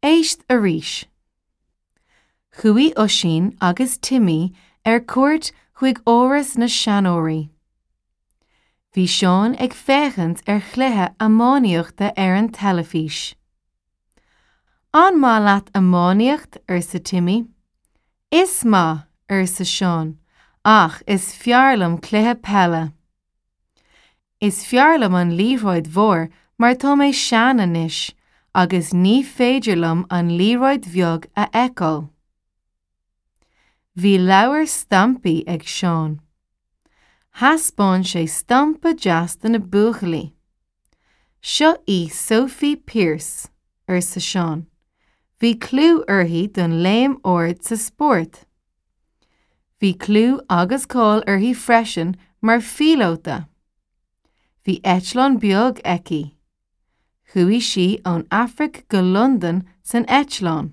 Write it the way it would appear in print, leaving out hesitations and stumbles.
Éist arís. Chuaigh Oisín agus Timmy ar cuairt chuig áras na seanóirí. Bhí Seán ag féachaint ar chluiche iománaíochta ar an teilifís. An maith leat iománaíocht? arsa Timmy. Is maith, arsa Seán, ach is fearr liom cluiche peile. Is fearr liom an liathróid mhór mar tá mé sean anois agus ní féidir liom an liathróid bheag a fheiceáil. Bhí leabhar stampaí ag Seán. Thaispeáin sé stampa deas do na buachaillí. Seo í Sophie Pearse, arsa Seán. Bhí clú uirthi don léim ard sa spórt. Bhí clú agus cáil uirthi freisin mar phíolóta. Bhí eitleán beag aici. Chuaigh sí ón Afraic go Londain san eitleán.